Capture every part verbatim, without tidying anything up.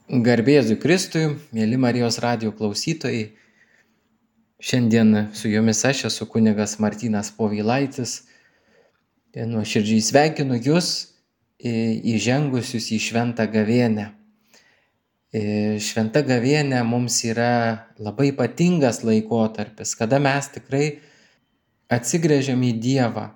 Garbėzui Kristui, mėly Marijos radijo klausytojai. Šiandien su jumis aš esu kunigas Martynas Povilaitis. Nuoširdžiai sveikinu jūs įžengusius į šventą gavėnią. Šventa gavėnia mums yra labai ypatingas laikotarpis, kada mes tikrai atsigręžiam į Dievą.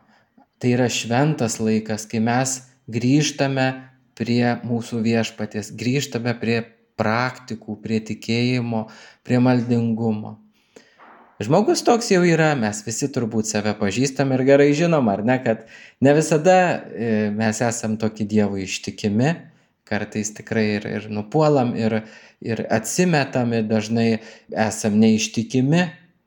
Tai yra šventas laikas, kai mes grįžtame prie mūsų viešpaties, grįžtame prie praktikų, prie tikėjimo, prie maldingumo. Žmogus toks jau yra, mes visi turbūt save pažįstam ir gerai žinom, ar ne, kad ne visada mes esam tokie Dievui ištikimi, kartais tikrai ir, ir nupuolam, ir, ir atsimetam, ir dažnai esam neištikimi,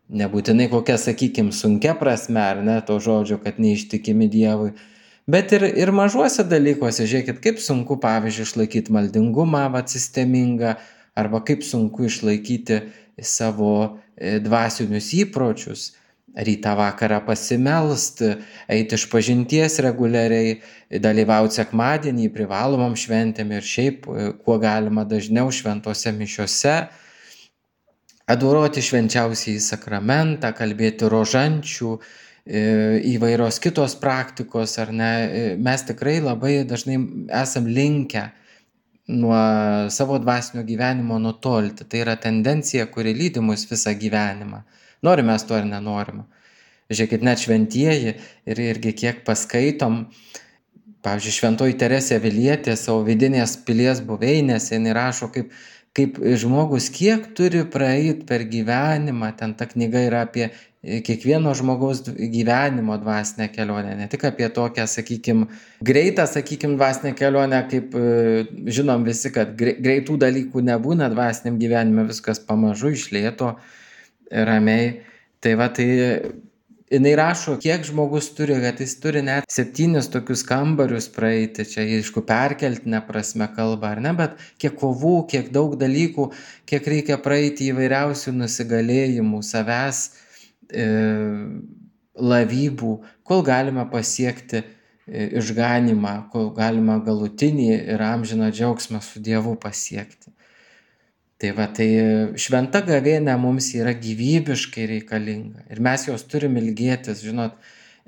nebūtinai kokia, sakykim, sunkia prasme, ar ne, to žodžio, kad neištikimi Dievui. Bet ir, ir mažuose dalykuose, žiūrėkit, kaip sunku, pavyzdžiui, išlaikyti maldingumą, va, sistemingą, arba kaip sunku išlaikyti savo dvasinius įpročius, rytą vakarą pasimelst, eiti iš pažinties reguliariai, dalyvauti sekmadienį privalomam šventėm ir šiaip, kuo galima dažniau šventose mišiose, adoroti švenčiausiąjį sakramentą, kalbėti rožančių, įvairios kitos praktikos, ar ne, mes tikrai labai dažnai esam linkę nuo savo dvasinio gyvenimo nutolti. Tai yra tendencija, kuri lydi mus visą gyvenimą. Norim mes to ar nenorim. Žiūrėkit, net šventieji ir irgi kiek paskaitom, pavyzdžiui, šventoji Teresė Avilietė savo vidinės pilies buveinėse, jinai rašo, kaip, kaip žmogus kiek turi praeiti per gyvenimą, ten ta knyga yra apie kiekvieno žmogaus gyvenimo dvasinę kelionę, ne tik apie tokią, sakykim, greitą, sakykim, dvasinę kelionę, kaip žinom visi, kad greitų dalykų nebūna dvasiniam gyvenime, viskas pamažu, iš lėto, ramiai. Tai va, tai jinai rašo, kiek žmogus turi, kad jis turi net septynis tokius kambarius praeiti, čia aišku perkeltinė prasme kalba, ar ne, bet kiek kovų, kiek daug dalykų, kiek reikia praeiti įvairiausių nusigalėjimų, savęs lavybų, kol galima pasiekti išganymą, kol galima galutinį ir amžiną džiaugsmą su Dievu pasiekti. Tai va, tai šventa gavėnia mums yra gyvybiškai reikalinga ir mes jos turim ilgėtis, žinot,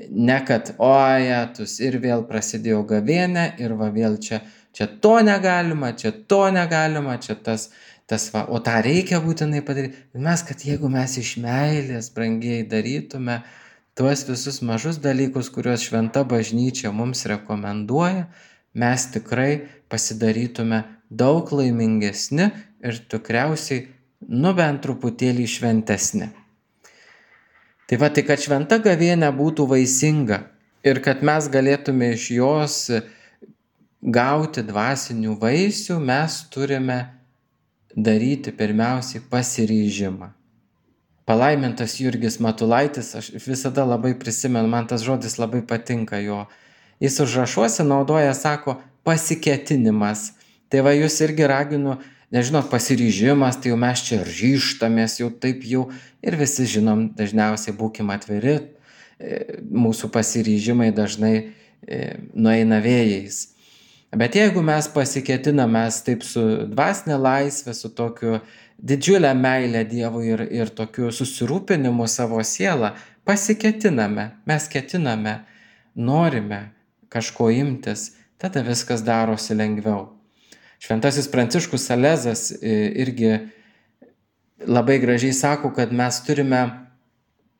ne kad, o jetus, ir vėl prasidėjo gavėnia ir va vėl čia, čia to negalima, čia to negalima, čia tas Tas va, o tą reikia būtinai padaryti. Mes, kad jeigu mes iš meilės brangiai darytume tuos visus mažus dalykus, kuriuos šventa bažnyčia mums rekomenduoja, mes tikrai pasidarytume daug laimingesni ir tikriausiai, nu bent truputėlį šventesni. Tai va, tai kad šventa gavėnia būtų vaisinga ir kad mes galėtume iš jos gauti dvasinių vaisių, mes turime daryti pirmiausiai pasiryžimą. Palaimintas Jurgis Matulaitis, aš visada labai prisimenu, man tas žodis labai patinka jo. Jis užrašuose naudoja, sako, pasiketinimas. Tai va, jūs irgi raginu, nežinot, pasiryžimas, tai jau mes čia ryžtamės, jau taip jau, ir visi žinom, dažniausiai būkim atviri, mūsų pasiryžimai dažnai nueina vėjais. Bet jeigu mes pasiketinam, mes taip su dvasinė laisvė, su tokiu didžiulę meilę Dievui ir, ir tokiu susirūpinimu savo sielą, pasiketiname, mes ketiname, norime kažko imtis, tada viskas darosi lengviau. Šventasis Pranciškus Salezas irgi labai gražiai sako, kad mes turime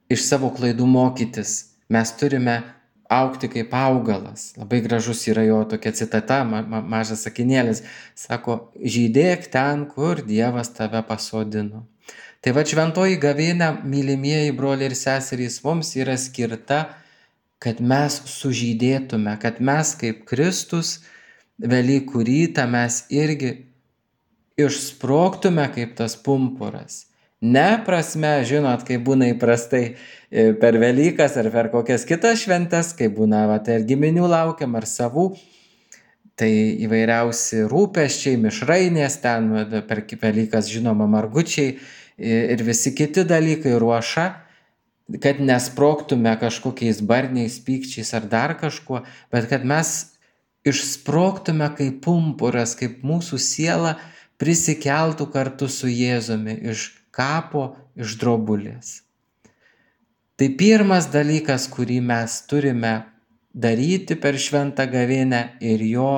iš savo klaidų mokytis, mes turime augti kaip augalas. Labai gražus yra jo tokia citata, ma, ma, mažas sakinėlis. Sako, žydėk ten, kur Dievas tave pasodino. Tai va, šventoji gavėnia, mylimieji broliai ir seserys, mums yra skirta, kad mes sužydėtume, kad mes kaip Kristus Velykų rytą mes irgi išsprogtume kaip tas pumpuras. Ne prasme, žinot, kai būna įprastai per Velykas ar per kokias kitas šventes, kai būna va, tai ir giminių laukiam, ar savų, tai įvairiausi rūpesčiai, mišrainės, ten per Velykas žinoma margučiai ir visi kiti dalykai, ruoša, kad nesprogtume kažkokiais barniais, pykčiais ar dar kažkuo, bet kad mes išsprogtume kaip pumpuras, kaip mūsų siela prisikeltų kartu su Jėzumi iš kapo, iš drobulės. Tai pirmas dalykas, kurį mes turime daryti per šventą gavėnią ir jo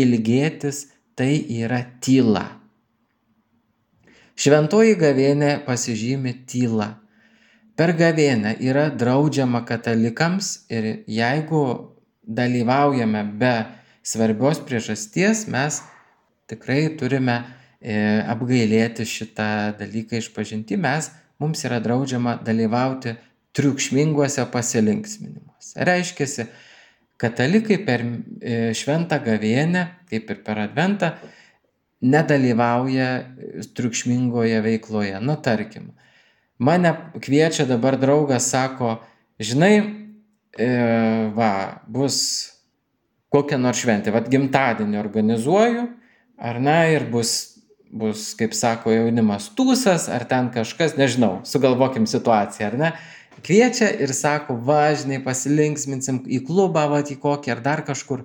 ilgėtis, tai yra tyla. Šventoji gavėnė pasižymi tyla. Per gavėnią yra draudžiama katalikams ir jeigu dalyvaujame be svarbios priežasties, mes tikrai turime e, apgailėti šitą dalyką išpažinti. Mes, mums yra draudžiama dalyvauti triukšminguose pasilinksminimuose. Reiškiasi, katalikai per e, šventą gavėnią, kaip ir per adventą, nedalyvauja triukšmingoje veikloje. Nu, tarkim, mane kviečia dabar draugas, sako, žinai, e, va, bus kokia nors šventė, vat gimtadienį organizuoju, ar ne, ir bus, bus, kaip sako jaunimas, tūsas, ar ten kažkas, nežinau, sugalvokim situaciją, ar ne, kviečia ir sako, va, žinai, pasilinksminsim į klubą, va, į kokį, ar dar kažkur.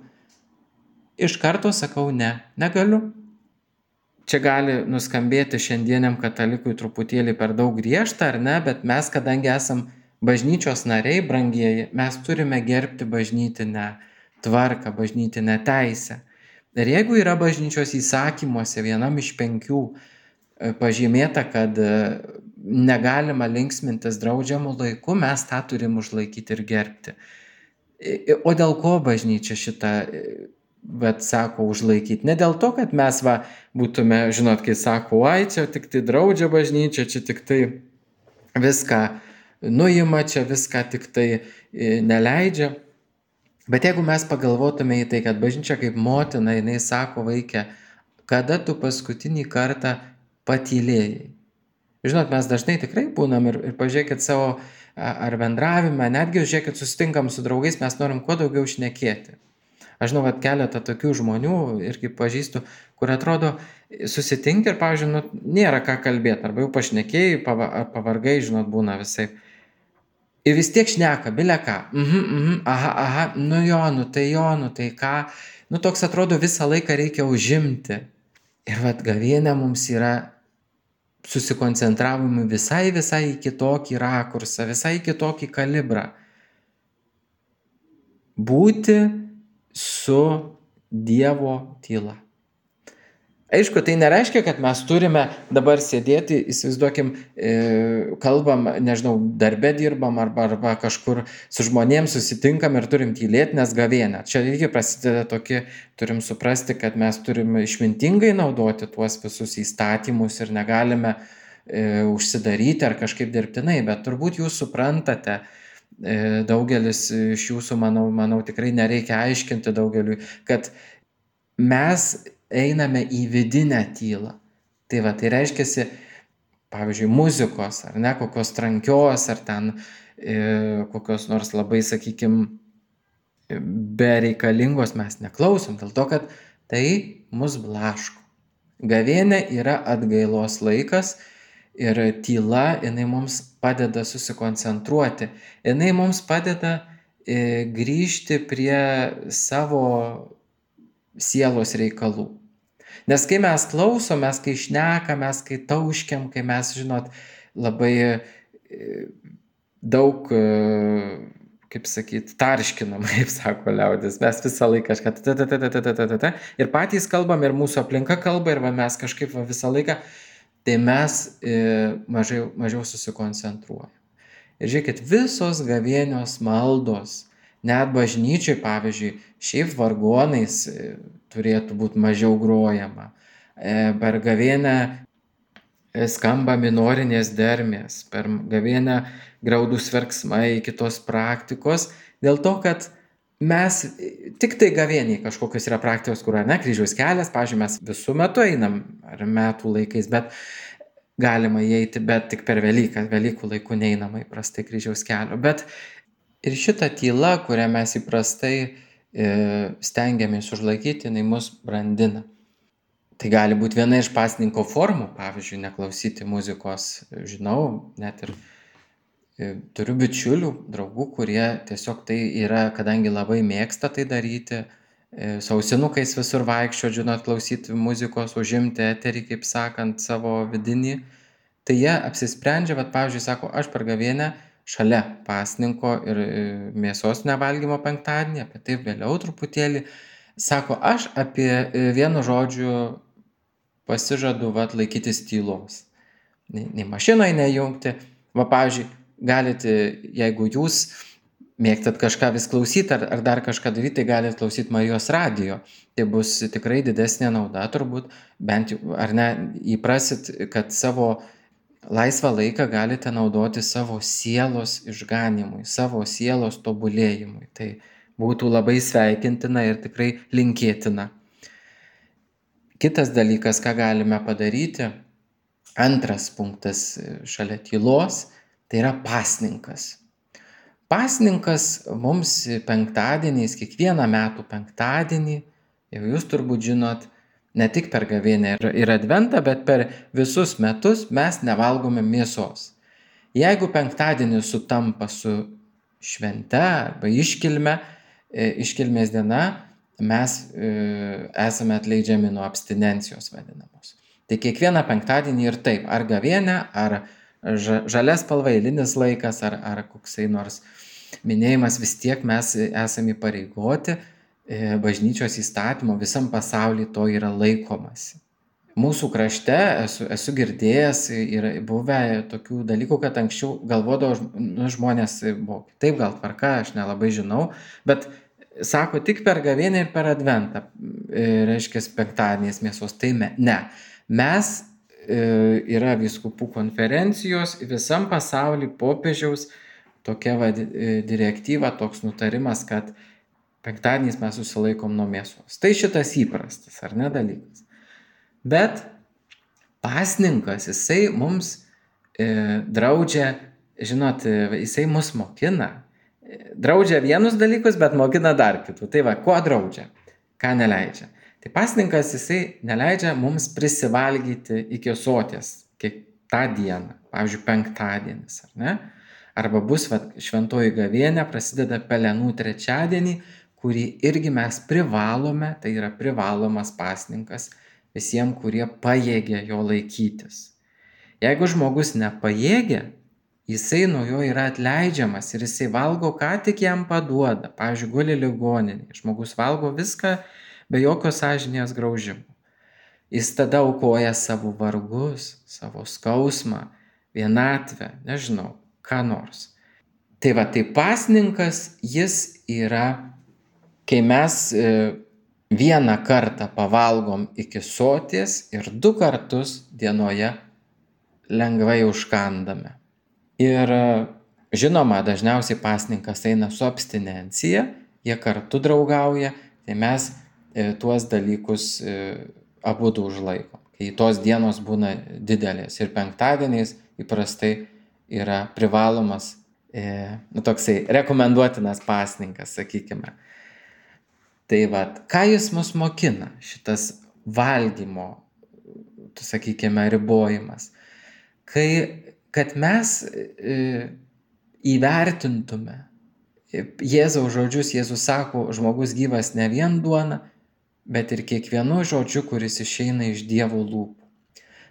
Iš karto sakau, ne, negaliu. Čia gali nuskambėti šiandieniam katalikui truputėlį per daug griežta, ar ne, bet mes, kadangi esam bažnyčios nariai, brangieji, mes turime gerbti bažnytinę tvarką, bažnytinę teisę. Ir jeigu yra bažnyčios įsakymuose vienam iš penkių pažymėta, kad negalima linksmintis draudžiamų laiku, mes tą turim užlaikyti ir gerbti. O dėl ko bažnyčia šitą, bet sako, užlaikyti? Ne dėl to, kad mes va būtume, žinot, kai sako, ai, čia tik tai draudžia bažnyčia, čia tik tai viską nuima, čia viską tik tai neleidžia. Bet jeigu mes pagalvotume į tai, kad bažnyčia kaip motina, jinai sako, vaikė, kada tu paskutinį kartą patylėjai. Žinot, mes dažnai tikrai būnam ir, ir pažiūrėkit savo ar bendravimą, netgi žiūrėkit, susitinkam su draugais, mes norim kuo daugiau šnekėti. Aš žinau, kad keletą tokių žmonių irgi pažįstu, kur atrodo susitinki ir, pavyzdžiui, nu, nėra ką kalbėti, arba jau pašnekėjai, pava, ar pavargai, žinot, būna visai. Ir vis tiek šneka, bile ką, mhm, mhm, aha, aha, nu jo, nu tai jo, nu tai ką, nu toks atrodo visą laiką reikia užimti. Ir vat gavėnia mums yra susikoncentravimui visai, visai į kitokį rakursą, visai į kitokį kalibrą. Būti su Dievo tyla. Aišku, tai nereiškia, kad mes turime dabar sėdėti, įsivaizduokim, kalbam, nežinau, darbe dirbam arba, arba kažkur su žmonėms susitinkam ir turim tylėti, nes gavėnia. Čia irgi prasideda tokie, turim suprasti, kad mes turim išmintingai naudoti tuos visus įstatymus ir negalime e, užsidaryti ar kažkaip dirbtinai, bet turbūt jūs suprantate, e, daugelis iš jūsų, manau, manau, tikrai nereikia aiškinti daugeliui, kad mes einame į vidinę tylą. Tai va, tai reiškiasi, pavyzdžiui, muzikos, ar ne, kokios trankios, ar ten e, kokios nors labai, sakykim, bereikalingos mes neklausom, dėl to, kad tai mus blaško. Gavėnia yra atgailos laikas ir tyla, jinai mums padeda susikoncentruoti, jinai mums padeda e, grįžti prie savo sielos reikalų. Nes kai mes klausom, mes kai šnekam, mes kai tauškiam, kai mes, žinot, labai daug, kaip sakyt, tarškinam, kaip sako liaudis, mes visą laiką kažką ir patys kalbam, ir mūsų aplinka kalba, ir va, mes kažkaip va, visą laiką, tai mes mažiau, mažiau susikoncentruojam. Ir žiūrėkit, visos gavėnios maldos, net bažnyčiai, pavyzdžiui, šiaip vargonais turėtų būti mažiau grojama. Per gavėnią skamba minorinės dermės, per gavėnią graudūs verksmai, kitos praktikos, dėl to, kad mes tik tai gavėniai kažkokios yra praktikos, kur, ne, kryžiaus kelias, pavyzdžiui, mes visų metų einam, ar metų laikais, bet galima įeiti, bet tik per Velyką, Velykų laiku neinama įprastai kryžiaus kelio. Bet ir šita tyla, kurią mes įprastai e, stengiamės užlaikyti, jinai mus brandina. Tai gali būti viena iš pasninko formų, pavyzdžiui, neklausyti muzikos. Žinau, net ir e, turiu bičiulių, draugų, kurie tiesiog tai yra, kadangi labai mėgsta tai daryti, su ausinukais visur vaikščioti, žinot, klausyti muzikos, užimti eterį, kaip sakant, savo vidinį. Tai jie apsisprendžia, vat, pavyzdžiui, sako, aš per gavėnią šalia pasninko ir mėsos nevalgymo penktadienį, apie tai vėliau truputėlį, sako, aš apie vienu žodžiu pasižadu vat, laikytis tylos. Nei, nei mašinoje nejungti. Va, pavyzdžiui, galite, jeigu jūs mėgstat kažką vis klausyti ar, ar dar kažką daryti, tai galite klausyti Marijos radijo. Tai bus tikrai didesnė nauda turbūt, bent jau, ar ne, įprasit, kad savo laisvą laiką galite naudoti savo sielos išganimui, savo sielos tobulėjimui. Tai būtų labai sveikintina ir tikrai linkėtina. Kitas dalykas, ką galime padaryti, antras punktas šalia tylos, tai yra pasninkas. Pasninkas mums penktadieniais, kiekvieną metų penktadienį, jau jūs turbūt žinot, ne tik per gavėnią ir adventą, bet per visus metus mes nevalgome mėsos. Jeigu penktadienis sutampa su švente arba iškilme, iškilmės diena, mes esame atleidžiami nuo abstinencijos vadinamos. Tai kiekvieną penktadienį ir taip, ar gavėnė, ar žalias spalva eilinis laikas, ar, ar koksai nors minėjimas, vis tiek mes esame įpareigoti bažnyčios įstatymo, visam pasaulyje to yra laikomasi. Mūsų krašte esu, esu girdėjęs ir buvę tokių dalykų, kad anksčiau galvodavo, nu, žmonės buvo taip, gal tvarka, aš nelabai žinau, bet sako tik per gavėnią ir per adventą, reiškia penktadieniais mėsos, tai me, ne. Mes yra vyskupų konferencijos visam pasaulyje popiežiaus tokia va, direktyva, toks nutarimas, kad penktadieniais mes susilaikom nuo mėsos. Tai šitas įprastas, ar ne, dalykas. Bet pasninkas, jisai mums e, draudžia, žinot, jisai mus mokina. Draudžia vienus dalykus, bet mokina dar kitų. Tai va, kuo draudžia, ką neleidžia. Tai pasninkas, jisai neleidžia mums prisivalgyti iki soties kiek tą dieną, pavyzdžiui, penktadienis, ar ne? Arba bus va, šventoji gavėnė, prasideda pelenų trečiadienį, kurį irgi mes privalome, tai yra privalomas pasninkas visiems, kurie pajėgia jo laikytis. Jeigu žmogus nepajėgia, jisai nuo jo yra atleidžiamas ir jisai valgo, ką tik jam paduoda. Pavyzdžiui, guli ligoninėje, žmogus valgo viską be jokio sąžinės graužimo. Jis tada aukoja savo vargus, savo skausmą, vienatvę, nežinau, ką nors. Tai va, tai pasninkas, jis yra, kai mes vieną kartą pavalgom iki soties ir du kartus dienoje lengvai užkandame. Ir žinoma, dažniausiai pasninkas eina su abstinencija, jie kartu draugauja, tai mes tuos dalykus abudu užlaikom. Kai tos dienos būna didelės ir penktadieniais įprastai yra privalomas, nu, toksai rekomenduotinas pasninkas, sakykime. Tai va, ką jis mus mokina, šitas valgymo, sakykime, ribojimas. Kai, kad mes e, įvertintume Jėzaus žodžius, Jėzus sako, žmogus gyvas ne vien duona, bet ir kiekvienu žodžiu, kuris išeina iš Dievo lūpų.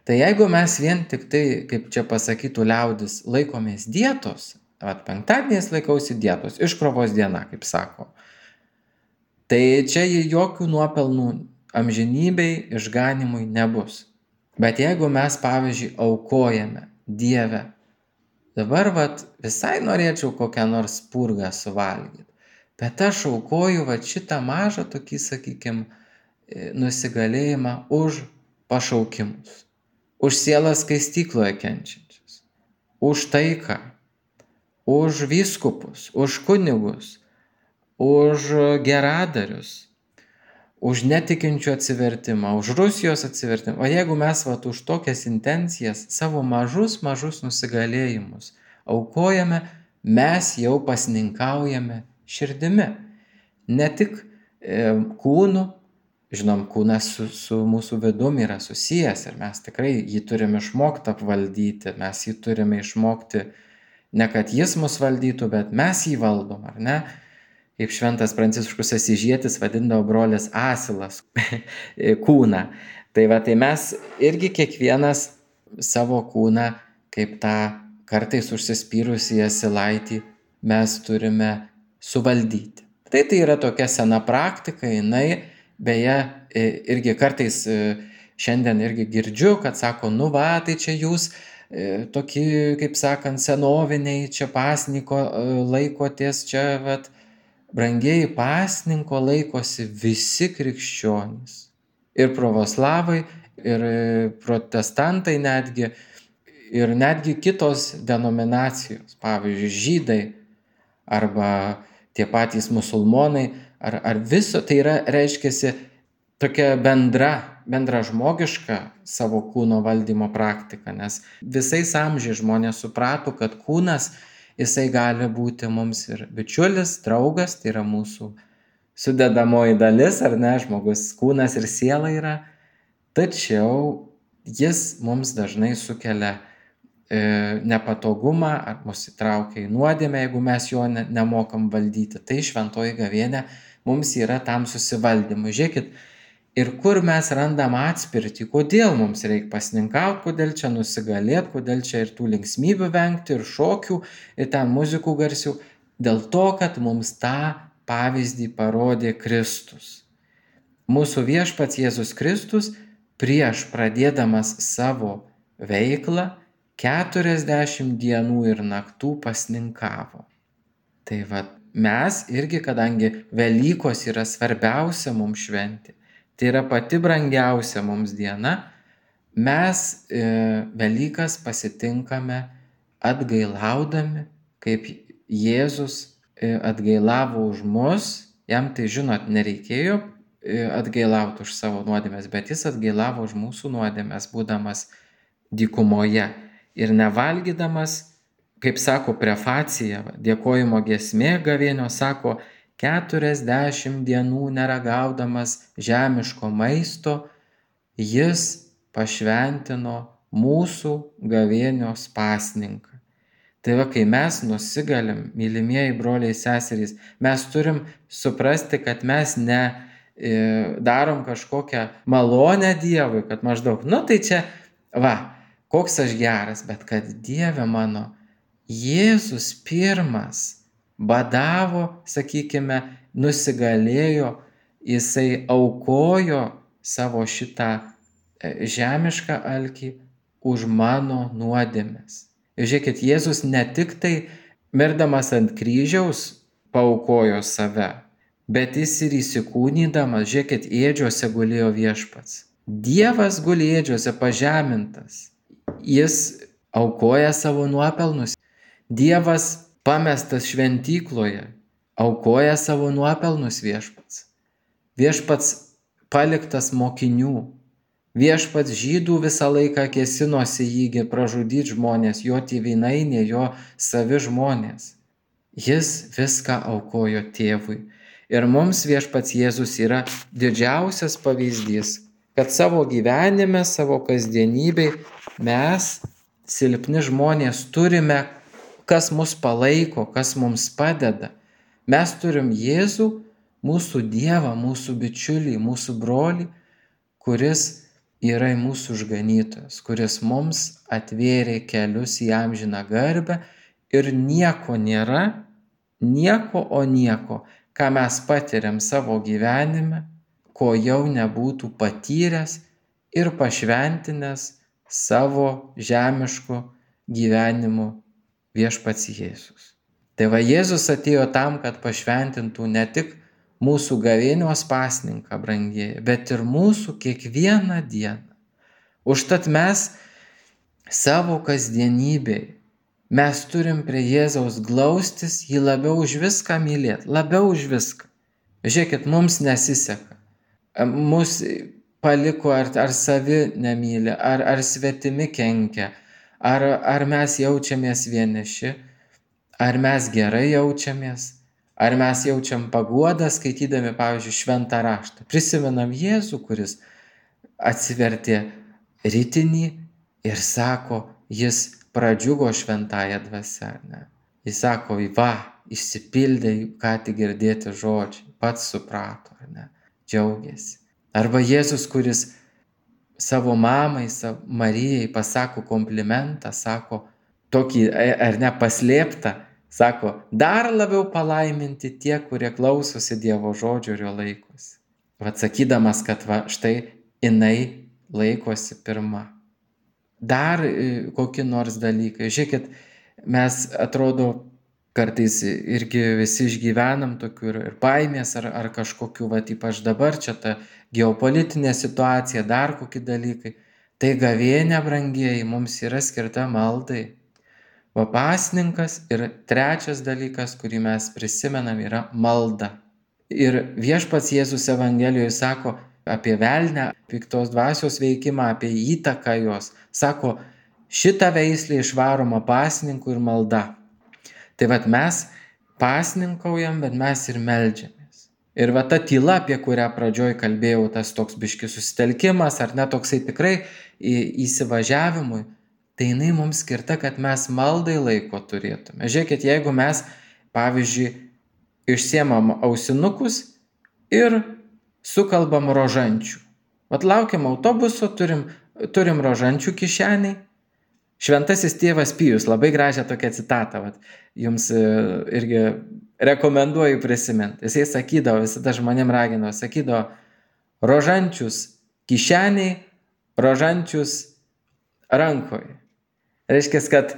Tai jeigu mes vien tik tai, kaip čia pasakytų liaudis, laikomės dietos, vat penktadieniais laikausi dietos, iškrovos diena, kaip sako, tai čia jokių nuopelnų amžinybei, išganimui nebus. Bet jeigu mes, pavyzdžiui, aukojame Dievę, dabar vat, visai norėčiau kokią nors purgą suvalgyti, bet aš aukoju vat, šitą mažą tokį, sakykime, nusigalėjimą už pašaukimus, už sielas skaistykloje kenčiančius, už taiką, už vyskupus, už kunigus, už geradarius, už netikinčių atsivertimą, už Rusijos atsivertimą. O jeigu mes vat, už tokias intencijas savo mažus, mažus nusigalėjimus aukojame, mes jau pasninkaujame širdimi. Ne tik e, kūnu, žinom, kūnas su, su mūsų vidum yra susijęs ir mes tikrai jį turime išmokti apvaldyti, mes jį turime išmokti, ne kad jis mus valdytų, bet mes jį valdom, ar ne? kaip šventas Pranciškus Asyžietis vadindavo brolės asilas kūną. Tai va, tai mes irgi kiekvienas savo kūną, kaip tą kartais užsispyrusį asilaitį, mes turime suvaldyti. Tai tai yra tokia sena praktika, jinai beje irgi kartais šiandien irgi girdžiu, kad sako, nu va, tai čia jūs tokie, kaip sakant, senoviniai, čia pasninko laikotės, čia vat, brangieji, pasninko laikosi visi krikščionys. Ir pravoslavai, ir protestantai netgi, ir netgi kitos denominacijos, pavyzdžiui, žydai, arba tie patys musulmonai, ar, ar viso, tai yra, reiškiasi, tokia bendra, bendra žmogiška savo kūno valdymo praktika, nes visais amžiais žmonės suprato, kad kūnas, jisai gali būti mums ir bičiulis, draugas, tai yra mūsų sudedamoji dalis, ar ne, žmogus, kūnas ir siela yra, tačiau jis mums dažnai sukelia e, nepatogumą, ar mus įtraukia į nuodėmę, jeigu mes jo ne, nemokam valdyti. Tai šventoji gavėnia mums yra tam susivaldymui. Žiūrėkit, ir kur mes randam atspirtį, kodėl mums reikia pasninkauti, kodėl čia nusigalėti, kodėl čia ir tų linksmybių vengti, ir šokių, ir ten muzikų garsių. Dėl to, kad mums tą pavyzdį parodė Kristus. Mūsų viešpats Jėzus Kristus prieš pradėdamas savo veiklą keturiasdešimt dienų ir naktų pasninkavo. Tai va, mes irgi, kadangi Velykos yra svarbiausia mums šventė, tai yra pati brangiausia mums diena, mes e, Velykas pasitinkame atgailaudami, kaip Jėzus e, atgailavo už mus, jam tai žinot nereikėjo e, atgailauti už savo nuodėmes, bet jis atgailavo už mūsų nuodėmes, būdamas dykumoje ir nevalgydamas, kaip sako prefacija, dėkojimo giesmė gavėnio, sako, keturiasdešimt dienų neragaudamas žemiško maisto, jis pašventino mūsų gavėnios pasninką. Tai va, kai mes nusigalim, mylimieji broliai seserys, mes turim suprasti, kad mes ne e, darom kažkokią malonę Dievui, kad maždaug, nu tai čia, va, koks aš geras, bet kad Dieve mano, Jėzus pirmas badavo, sakykime, nusigalėjo, jisai aukojo savo šitą žemišką alkį už mano nuodėmes. Ir žiūrėkit, Jėzus ne tik tai mirdamas ant kryžiaus paaukojo save, bet jis ir įsikūnydamas, žiūrėkit, ėdžiose gulėjo viešpats. Dievas guli ėdžiose pažemintas. Jis aukoja savo nuopelnus. Dievas pamestas šventykloje, aukoja savo nuopelnus viešpats. Viešpats paliktas mokinių. Viešpats žydų visą laiką kėsinosi jį pražudyti žmonės, jo tėvynainė, jo savi žmonės. Jis viską aukojo tėvui. Ir mums viešpats Jėzus yra didžiausias pavyzdys, kad savo gyvenime, savo kasdienybėj mes, silpni žmonės, turime, kas mus palaiko, kas mums padeda. Mes turim Jėzų, mūsų Dievą, mūsų bičiulį, mūsų brolį, kuris yra mūsų išganytojas, kuris mums atvėrė kelius į amžiną garbę ir nieko nėra, nieko o nieko, ką mes patiriam savo gyvenime, ko jau nebūtų patyręs ir pašventinęs savo žemišku gyvenimu viešpats Jėzus. Tai va, Jėzus atėjo tam, kad pašventintų ne tik mūsų gavėnios pasninką, brangieji, bet ir mūsų kiekvieną dieną. Užtat mes savo kasdienybėj, mes turim prie Jėzaus glaustis, jį labiau už viską mylėti, labiau už viską. Žiūrėkit, mums nesiseka. Mus paliko ar, ar savi nemyli, ar, ar svetimi kenkia, ar, ar mes jaučiamės vieniši, ar mes gerai jaučiamės, ar mes jaučiam paguodą skaitydami, pavyzdžiui, šventą raštą. Prisimenam Jėzų, kuris atsivertė ritinį ir sako, jis pradžiugo šventąją dvasią. Ne? Jis sako, va, išsipildė ką tik girdėti žodžiai, pats suprato, ar ne, džiaugiasi. Arba Jėzus, kuris savo mamai, savo Marijai pasako komplimentą, sako tokį, ar ne, paslėptą, sako, dar labiau palaiminti tie, kurie klausosi Dievo žodžio ir jo laikosi. Vat sakydamas, kad va, štai jinai laikosi pirma. Dar kokie nors dalykai. Žiūrėkit, mes atrodo kartais irgi visi išgyvenam tokių ir, ir baimės ar, ar kažkokių, va, ypač dabar čia ta geopolitinė situacija, dar kokie dalykai. Tai gavėnia, brangieji, mums yra skirta maldai. Va, pasninkas ir trečias dalykas, kurį mes prisimenam, yra malda. Ir viešpats Jėzus Evangelijoje sako apie velnę, piktos dvasios veikimą, apie įtaką jos. Sako, šitą veislę išvaroma pasninku ir malda. Tai vat mes pasninkaujam, bet mes ir meldžiamės. Ir va ta tyla, apie kurią pradžioj kalbėjau, tas toks biškis susitelkimas, ar ne toksai tikrai įsivažiavimui, tai jinai mums skirta, kad mes maldai laiko turėtume. Žiūrėkit, jeigu mes, pavyzdžiui, išsiemam ausinukus ir sukalbam rožančių. Vat laukiam autobuso, turim, turim rožančių kišeniai. Šventasis tėvas Pijus, labai gražią tokią citatą, vat, jums irgi rekomenduoju prisiminti. Jisai sakydavo, visada žmonėm ragindavo, sakydavo, rožančius kišeniai, rožančius rankoje. Reiškia, kad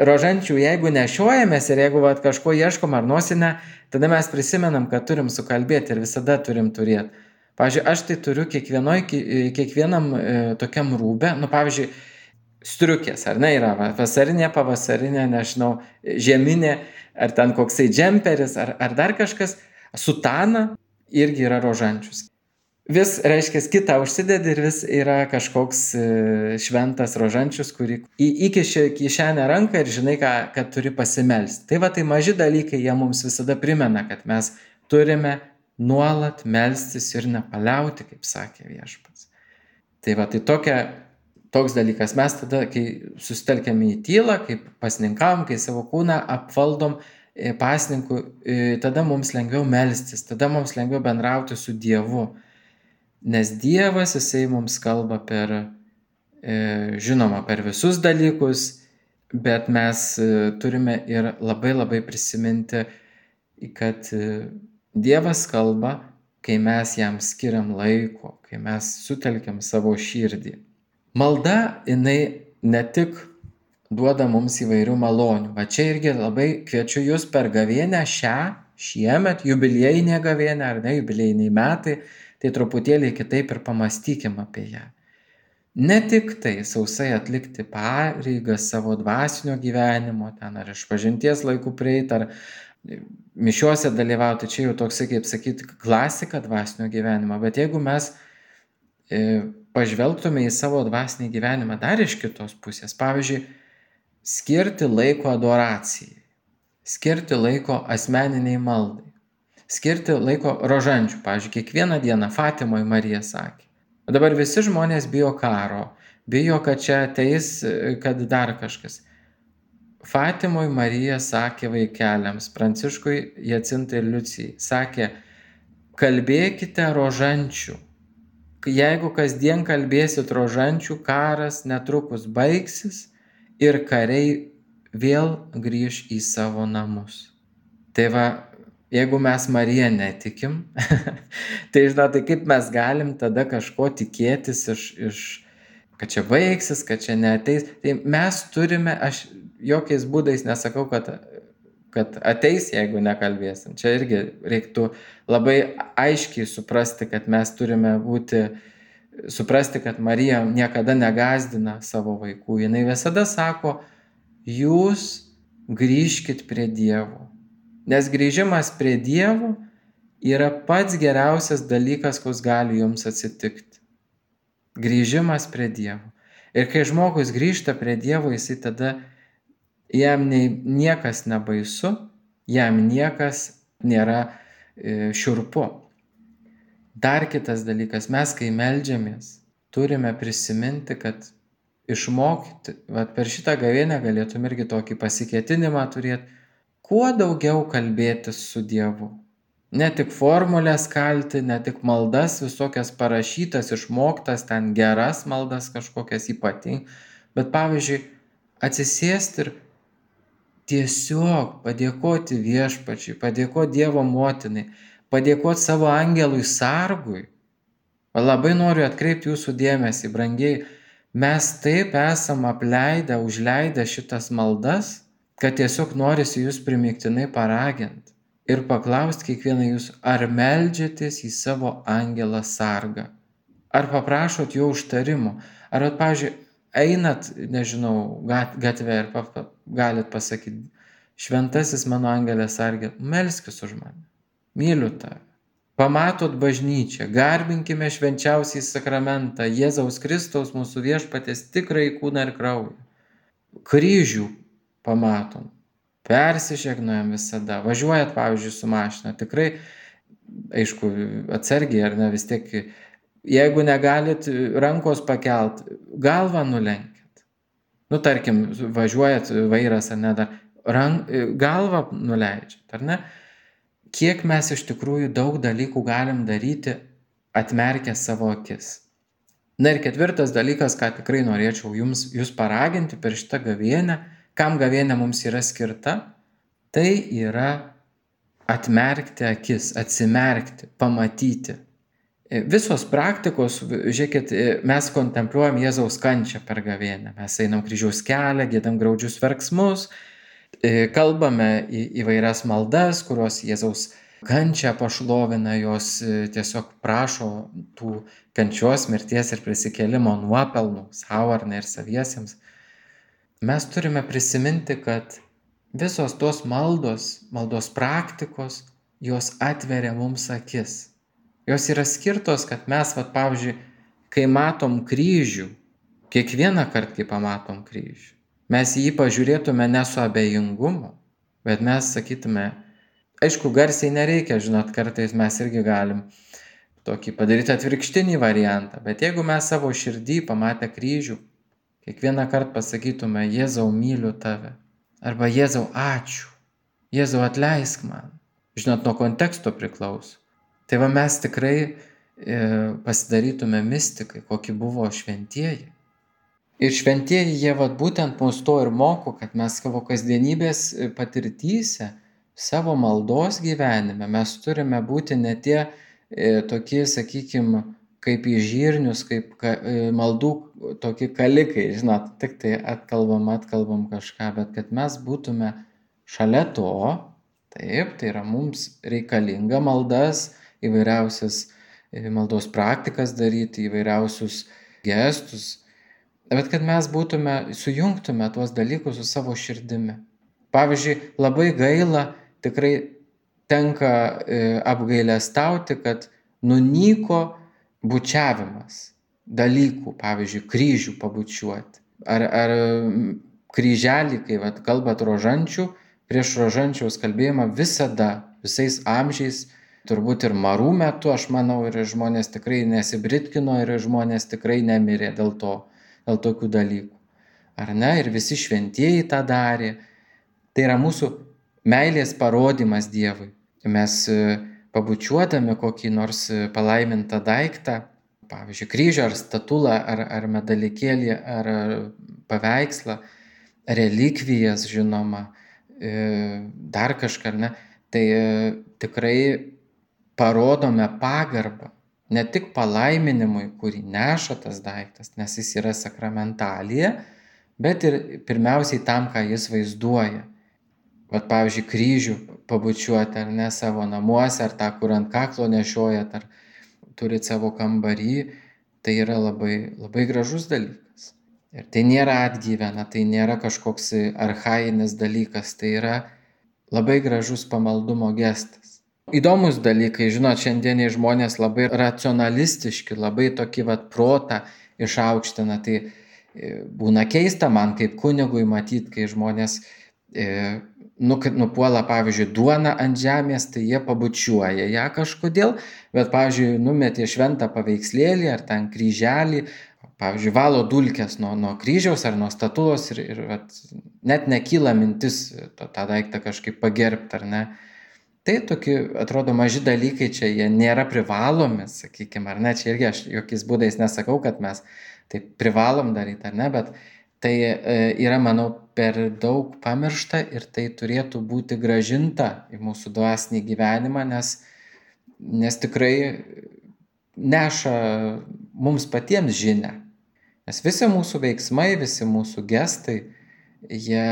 rožančių, jeigu nešiojamės ir jeigu vat, kažko ieškom ar nosinę, tada mes prisimenam, kad turim sukalbėti ir visada turim turėti. Pavyzdžiui, aš tai turiu kiekvienoj, kiekvienam e, tokiam rūbe, nu pavyzdžiui, striukės, ar ne, yra vasarinė, pavasarinė, nežinau, žieminė, ar ten koksai džemperis, ar, ar dar kažkas, sutana irgi yra rožančius. Vis, reiškia, kitą užsidedi ir vis yra kažkoks šventas rožančius, kurį įkiši kišenę ranką ir žinai, ką, kad turi pasimelsti. Tai va, tai maži dalykai, jie mums visada primena, kad mes turime nuolat melstis ir nepaliauti, kaip sakė viešpats. Tai va, tai tokia, toks dalykas. Mes tada, kai susitelkiame į tylą, kaip pasninkavom, kai savo kūną apvaldom pasninku, tada mums lengviau melstis, tada mums lengviau bendrauti su Dievu. Nes Dievas, jisai mums kalba per, e, žinoma, per visus dalykus, bet mes e, turime ir labai labai prisiminti, kad e, Dievas kalba, kai mes jam skiriam laiko, kai mes sutelkiam savo širdį. Malda, jinai ne tik duoda mums įvairių malonių, va čia irgi labai kviečiu jūs per gavėnią šią, šiemet, jubiliejinė gavėnė ar ne, jubiliejiniai metai, tai truputėlį kitaip ir pamastykim apie ją. Ne tik tai sausai atlikti pareigas savo dvasinio gyvenimo, ten ar išpažinties laikų prieit, ar mišiuose dalyvauti, čia jau toksai, kaip sakyti, klasika dvasinio gyvenimo, bet jeigu mes e, pažvelgtume į savo dvasinį gyvenimą dar iš kitos pusės, pavyzdžiui, skirti laiko adoracijai, skirti laiko asmeniniai maldai, skirti laiko rožančių. Pavyzdžiui, kiekvieną dieną Fatimoje Marija sakė. O dabar visi žmonės bijo karo, bijo, kad čia ateis, kad dar kažkas. Fatimoje Marija sakė vaikeliams, Pranciškui, Jacintai ir Liucijai, sakė, kalbėkite rožančių. Jeigu kasdien kalbėsit rožančių, karas netrukus baigsis ir kariai vėl grįž į savo namus. Tai va, jeigu mes Mariją netikim, tai žinot, tai kaip mes galim tada kažko tikėtis iš, iš, kad čia baigsis, kad čia neateis. Tai mes turime, aš jokiais būdais nesakau, kad, kad ateis, jeigu nekalbėsim. Čia irgi reiktų labai aiškiai suprasti, kad mes turime būti, suprasti, kad Marija niekada negazdina savo vaikų. Jinai visada sako, jūs grįžkit prie Dievo. Nes grįžimas prie Dievo yra pats geriausias dalykas, koks gali jums atsitikti. Grįžimas prie Dievo. Ir kai žmogus grįžta prie Dievo, jisai tada jam nei, niekas nebaisu, jam niekas nėra e, šiurpu. Dar kitas dalykas, mes kai meldžiamės, turime prisiminti, kad išmokti, vat per šitą gavėnią galėtum irgi tokį pasikėtinimą turėti, kuo daugiau kalbėtis su Dievu. Ne tik formulės kalti, ne tik maldas visokias parašytas, išmoktas, ten geras maldas kažkokias ypatingas, bet pavyzdžiui, atsisėsti ir tiesiog padėkoti Viešpačiui, padėkoti Dievo motinai, padėkoti savo angelui sargui. Labai noriu atkreipti jūsų dėmesį, brangiai, mes taip esam apleidę, užleidę šitas maldas, kad tiesiog norisi jūs primygtinai paraginti ir paklausti kiekvieną jūs, ar meldžiatės į savo angelą sargą, ar paprašot jo užtarimo, ar, pavyzdžiui, einat, nežinau, gatve ir pa, pa, galit pasakyti, šventasis mano angelė sargė, melskis už mane, myliu tave. Pamatot bažnyčią, garbinkime švenčiausiai sakramentą, Jėzaus Kristaus mūsų viešpaties tikrai kūną ir kraują. Kryžių pamatom, persižegnojam visada, važiuojat, pavyzdžiui, su mašina, tikrai, aišku, atsargiai, ar ne, vis tiek, jeigu negalit rankos pakelt, galvą nulenkit. Nu, tarkim, važiuojat vairas, ar ne, dar, rank, galvą nuleidžiat, ar ne? Kiek mes iš tikrųjų daug dalykų galim daryti, atmerkę savo akis. Na ir ketvirtas dalykas, ką tikrai norėčiau jums, jūs paraginti per šitą gavėnią, kam gavėnė mums yra skirta, tai yra atmerkti akis, atsimerkti, pamatyti. Visos praktikos, žiūrėkit, mes kontempliuojam Jėzaus kančią per gavėnę. Mes einam kryžiaus kelią, giedam graudžius verksmus, kalbame į įvairias maldas, kurios Jėzaus kančią pašlovina, jos tiesiog prašo tų kančios, mirties ir prisikėlimo nuopelnų savo ar ne ir saviesiems. Mes turime prisiminti, kad visos tos maldos, maldos praktikos, jos atveria mums akis. Jos yra skirtos, kad mes, vat, pavyzdžiui, kai matom kryžių, kiekvieną kartą, kai pamatom kryžių, mes jį pažiūrėtume ne su abejingumu, bet mes sakytume, aišku, garsiai nereikia, žinot, kartais mes irgi galim tokį padaryti atvirkštinį variantą, bet jeigu mes savo širdį pamatę kryžių, kiekvieną kartą pasakytume, Jėzau, myliu tave, arba Jėzau, ačiū, Jėzau, atleisk man, žinot, nuo konteksto priklauso. Tai va mes tikrai e, pasidarytume mistikai, kokie buvo šventieji. Ir šventieji jie vat būtent mus to ir moko, kad mes savo kasdienybės patirtyse, savo maldos gyvenime, mes turime būti ne tie e, tokie, sakykime, kaip į žirnius, kaip ka, e, maldų tokie kalikai, žinot, tik tai atkalbam, atkalbam kažką, bet kad mes būtume šalia to, taip, tai yra mums reikalinga maldas, įvairiausias e, maldos praktikas daryti, įvairiausius gestus, bet kad mes būtume, sujungtume tuos dalykus su savo širdimi. Pavyzdžiui, labai gaila, tikrai tenka e, apgailestauti, kad nunyko bučiavimas dalykų, pavyzdžiui, kryžių pabučiuoti. Ar, ar kryželį, kai vat, kalbat rožančių, prieš rožančiaus kalbėjimą visada, visais amžiais, turbūt ir marų metu, aš manau, ir žmonės tikrai nesibritkino, ir žmonės tikrai nemirė dėl to. Dėl tokių dalykų. Ar ne? Ir visi šventieji tą darė. Tai yra mūsų meilės parodimas Dievui. Mes pabučiuodami kokį nors palaimintą daiktą, pavyzdžiui, kryžių ar statulą, ar, ar medalikėlį, ar paveikslą, relikvijas, žinoma, dar kažką, ar ne, tai tikrai parodome pagarbą. Ne tik palaiminimui, kurį neša tas daiktas, nes jis yra sakramentalija, bet ir pirmiausiai tam, ką jis vaizduoja. Vat, pavyzdžiui, kryžių pabučiuoti ar ne savo namuose, ar tą, kur ant kaklo nešiojat, ar turit savo kambarį, tai yra labai, labai gražus dalykas. Ir tai nėra atgyvena, tai nėra kažkoks archainis dalykas, tai yra labai gražus pamaldumo gestas. Įdomus dalykai, žinot, šiandieniai žmonės labai racionalistiški, labai tokį vat protą išaukština, tai būna keista man kaip kunigui matyti, kai žmonės e, nupuola, pavyzdžiui, duoną ant žemės, tai jie pabučiuoja ją kažkodėl, bet, pavyzdžiui, numetė šventą paveikslėlį ar ten kryželį, pavyzdžiui, valo dulkes nuo, nuo kryžiaus ar nuo statulos ir, ir vat, net nekyla mintis to, tą daiktą kažkaip pagerbti, ar ne. Tai tokie, atrodo, maži dalykai čia, jie nėra privalomi, sakykime, ar ne, čia irgi aš jokiais būdais nesakau, kad mes tai privalom daryti, ar ne, bet tai yra, manau, per daug pamiršta ir tai turėtų būti grąžinta į mūsų dvasinį gyvenimą, nes, nes tikrai neša mums patiems žinią. Nes visi mūsų veiksmai, visi mūsų gestai, jie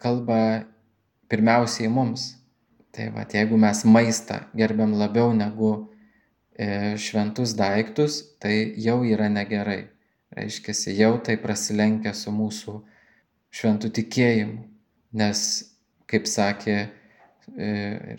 kalba pirmiausiai mums. Tai va, jeigu mes maistą gerbiam labiau negu e, šventus daiktus, tai jau yra negerai. Reiškiasi, jau tai prasilenkia su mūsų šventų tikėjimu. Nes, kaip sakė e,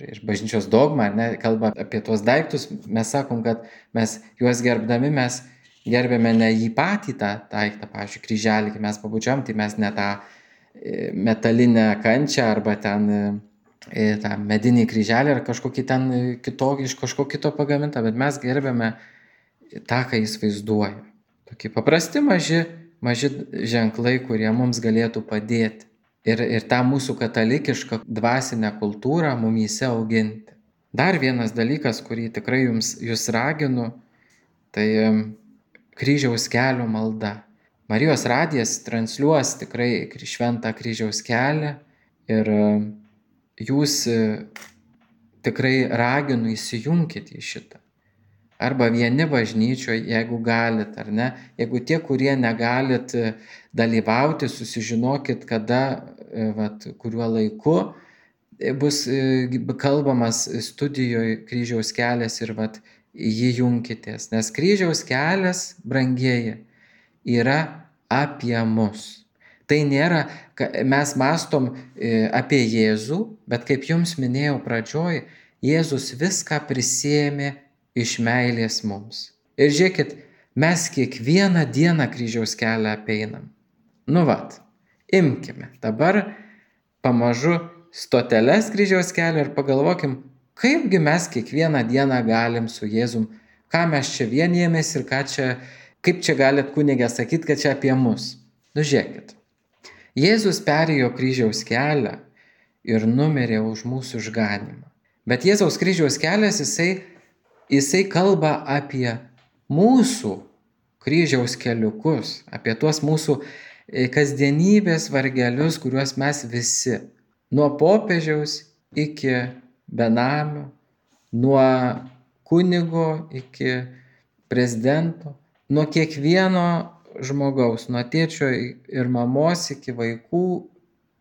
ir bažnyčios dogma, ne, kalba apie tuos daiktus, mes sakom, kad mes juos gerbdami, mes gerbėme ne jį patį tą daiktą, pavyzdžiui, kryželį, kai mes pabučiam, tai mes ne tą e, metalinę kančią arba ten e, tą medinį kryželį ar kažkokį ten kitokį, iš kažko kito pagamintą, bet mes gerbėme tą, ką jis vaizduoja. Tokie paprasti maži, maži ženklai, kurie mums galėtų padėti ir, ir tą mūsų katalikišką dvasinę kultūrą mumyse auginti. Dar vienas dalykas, kurį tikrai jums, jūs raginu, tai kryžiaus kelio malda. Marijos radijas transliuos tikrai šventą kryžiaus kelią ir jūs tikrai raginu įsijunkit į šitą. Arba vieni bažnyčioje, jeigu galit, ar ne. Jeigu tie, kurie negalit dalyvauti, susižinokit, kada, vat, kuriuo laiku bus kalbamas studijoje kryžiaus kelias ir vat, jį junkitės. Nes kryžiaus kelias, brangieji, yra apie mus. Tai nėra, mes mastom apie Jėzų, bet kaip jums minėjau pradžioj, Jėzus viską prisėmė iš meilės mums. Ir žiūrėkit, mes kiekvieną dieną kryžiaus kelią apeinam. Nu vat, imkime dabar pamažu stoteles kryžiaus kelio ir pagalvokim, kaipgi mes kiekvieną dieną galim su Jėzum, ką mes čia vienijamės ir ką čia, kaip čia galit kunigė sakyti, kad čia apie mus. Nu žiūrėkit, Jėzus perėjo kryžiaus kelią ir numirė už mūsų išganymą. Bet Jėzaus kryžiaus kelias, jisai Jisai kalba apie mūsų kryžiaus keliukus, apie tuos mūsų kasdienybės vargelius, kuriuos mes visi, nuo popiežiaus iki benamio, nuo kunigo iki prezidento, nuo kiekvieno žmogaus, nuo tėčio ir mamos iki vaikų,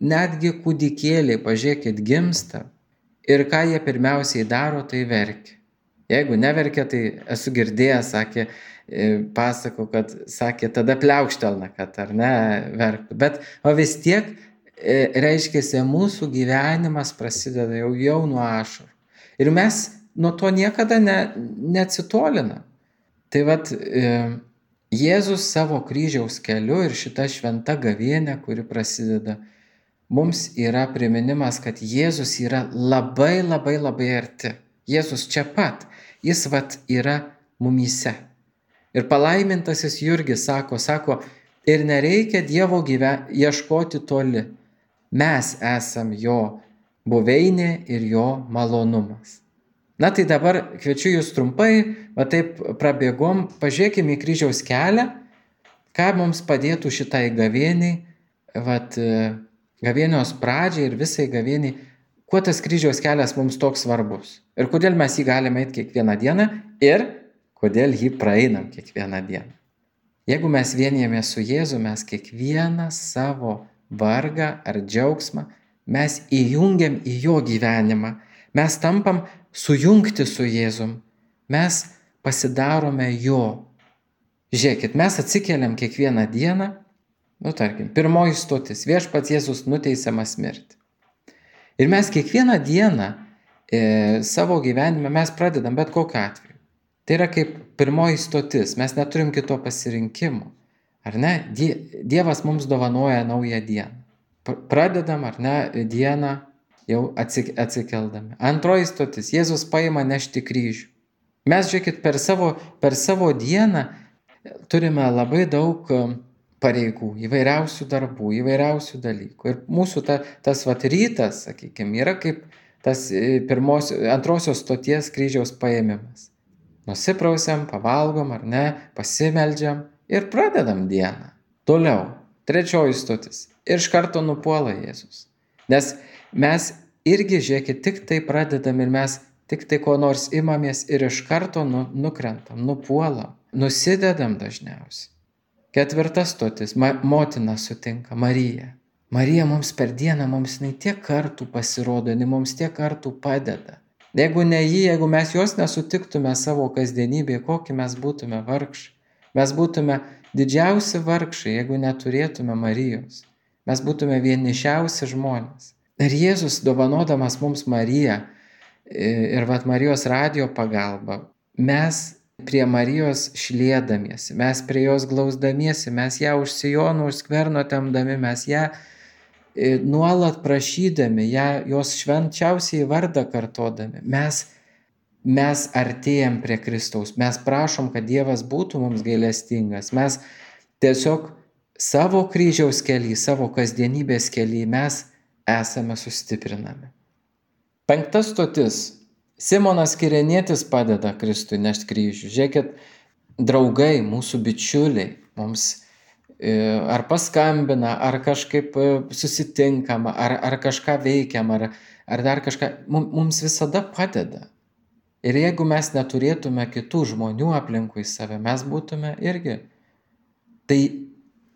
netgi kūdikėliai, pažiūrėkit, gimsta. Ir ką jie pirmiausiai daro, tai verkia. Jeigu neverkia, tai esu girdėjęs, sakė, pasakau, kad sakė, tada pliaukštelna, kad ar ne verktų. Bet o vis tiek, reiškiasi, mūsų gyvenimas prasideda jau, jau nuo ašarų. Ir mes nuo to niekada ne, neatsitolinam. Tai vat, Jėzus savo kryžiaus keliu ir šita šventa gavėnė, kuri prasideda, mums yra priminimas, kad Jėzus yra labai, labai, labai arti. Jėzus čia pat, jis vat yra mumyse. Ir palaimintasis Jurgis sako, sako, ir nereikia Dievo gyven... ieškoti toli. Mes esam jo buveinė ir jo malonumas. Na tai dabar kviečiu jūs trumpai, va taip prabėgom, pažiūrėkime į kryžiaus kelią, ką mums padėtų šitai gavėniai, vat gavėnios pradžiai ir visai gavėniai. Kuo tas kryžiaus kelias mums toks svarbus? Ir kodėl mes jį galime eiti kiekvieną dieną ir kodėl jį praeinam kiekvieną dieną? Jeigu mes vienijamės su Jėzu, mes kiekvieną savo vargą ar džiaugsmą, mes įjungiam į jo gyvenimą, mes tampam sujungti su Jėzum, mes pasidarome jo. Žiūrėkit, mes atsikeliam kiekvieną dieną, nu tarkim, pirmoji stotis, viešpats Jėzus nuteisiamas mirti. Ir mes kiekvieną dieną e, savo gyvenime mes pradedam bet kokiu atveju. Tai yra kaip pirmoji stotis, mes neturim kito pasirinkimo. Ar ne? Die, Dievas mums dovanoja naują dieną. Pradedam, ar ne, dieną jau atsik, atsikeldami. Antroji stotis, Jėzus paima nešti kryžių. Mes, žiūrėkit, per savo, per savo dieną turime labai daug pareigų, įvairiausių darbų, įvairiausių dalykų. Ir mūsų ta, tas vat rytas, sakykime, yra kaip tas pirmos, antrosios stoties kryžiaus paėmimas. Nusiprausiam, pavalgom ar ne, pasimeldžiam ir pradedam dieną. Toliau, trečioji stotis. Ir iš karto nupuola Jėzus. Nes mes irgi, žiūrėkit, tik tai pradedam ir mes tik tai ko nors imamės ir iš karto nu, nukrentam, nupuolam, nusidedam dažniausiai. Ketvirta stotis. Ma, motina sutinka, Marija. Marija mums per dieną, mums jinai tiek kartų pasirodo, jinai mums tiek kartų padeda. Jeigu ne jį, jeigu mes jos nesutiktume savo kasdienybėje, kokį mes būtume vargšai. Mes būtume didžiausi vargšai, jeigu neturėtume Marijos. Mes būtume vienišiausi žmonės. Ir Jėzus, dovanodamas mums Mariją ir vat Marijos radijo pagalba, mes prie Marijos šliedamiesi, mes prie jos glausdamiesi, mes ją už sijonų, už skverno tempdami, mes ją nuolat prašydami, ją, jos švenčiausiai vardą kartodami, mes, mes artėjam prie Kristaus, mes prašom, kad Dievas būtų mums gailestingas, mes tiesiog savo kryžiaus kely, savo kasdienybės kely mes esame sustiprinami. Penkta stotis. Simonas Kirenietis padeda Kristui nešti kryžių. Žiūrėkit, draugai, mūsų bičiuliai, mums ar paskambina, ar kažkaip susitinkama, ar, ar kažką veikiam, ar, ar dar kažką, mums visada padeda. Ir jeigu mes neturėtume kitų žmonių aplinkui save, mes būtume irgi. Tai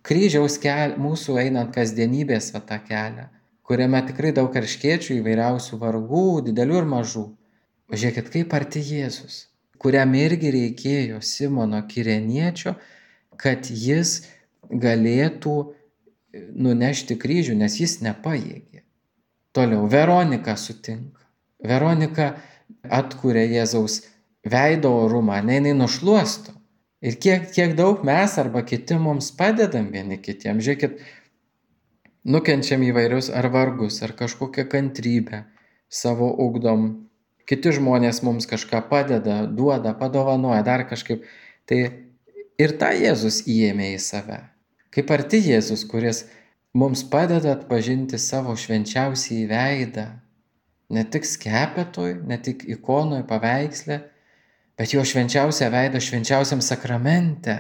kryžiaus kelią, mūsų einant kasdienybės va tą kelią, kuriame tikrai daug erškėčių, įvairiausių vargų, didelių ir mažų. Žiūrėkit, kaip arti Jėzus, kuriam irgi reikėjo Simono Kireniečio, kad jis galėtų nunešti kryžių, nes jis nepajėgė. Toliau, Veronika sutinka. Veronika atkuria Jėzaus veido orumą, ne, jinai nušluosto. Ir kiek, kiek daug mes arba kiti mums padedam vieni kitiems. Žiūrėkit, nukenčiam įvairius ar vargus, ar kažkokią kantrybę savo ugdom. Kiti žmonės mums kažką padeda, duoda, padovanoja, dar kažkaip. Tai ir tą Jėzus įėmė į save. Kaip arti Jėzus, kuris mums padeda atpažinti savo švenčiausiąjį veidą. Ne tik skepetoj, ne tik ikonoj, paveiksle, bet jo švenčiausią veidą švenčiausiam sakramente,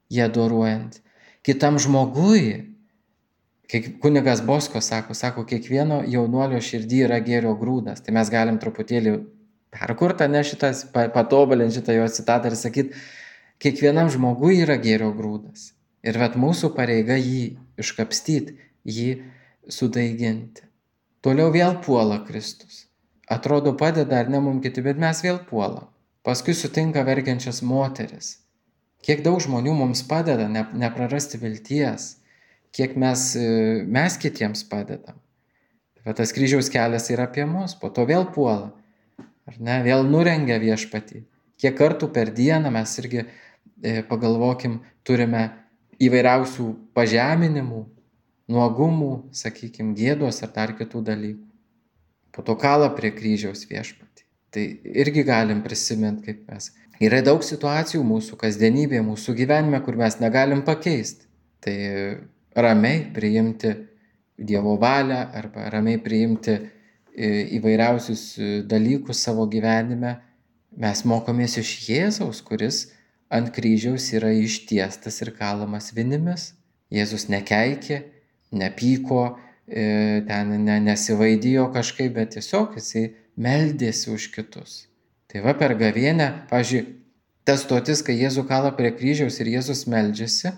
jį adoruojant. Kitam žmogui, kaip kunigas Bosko sako, sako, kiekvieno jaunuolio širdį yra gėrio grūdas. Tai mes galim truputėlį perkurtą, ne šitas, patobulinti šitą jo citatą ir sakyti, kiekvienam žmogui yra gėrio grūdas. Ir vat mūsų pareiga jį iškapstyti, jį sudaiginti. Toliau vėl puola Kristus. Atrodo padeda ar ne mums kiti, bet mes vėl puolam. Paskui sutinka verkiančias moteris. Kiek daug žmonių mums padeda ne, neprarasti vilties. Kiek mes, mes kitiems padedam. Bet tas kryžiaus kelias yra apie mus, po to vėl puola. Ar ne, vėl nurengia viešpatį. Kiek kartų per dieną mes irgi e, pagalvokim, turime įvairiausių pažeminimų, nuogumų, sakykime, gėdos ar dar kitų dalykų. Po to kala prie kryžiaus viešpatį. Tai irgi galim prisiminti, kaip mes. Yra daug situacijų mūsų kasdienybėje, mūsų gyvenime, kur mes negalim pakeisti. Tai ramiai priimti Dievo valią arba ramiai priimti įvairiausius dalykus savo gyvenime. Mes mokomės iš Jėzaus, kuris ant kryžiaus yra ištiestas ir kalamas vinimis. Jėzus nekeikė, nepyko, ten nesivaidijo kažkaip, bet tiesiog jisai meldėsi už kitus. Tai va per gavėnią, pavyzdžiui, tas stotis, kai Jėzų kala prie kryžiaus ir Jėzus meldžiasi,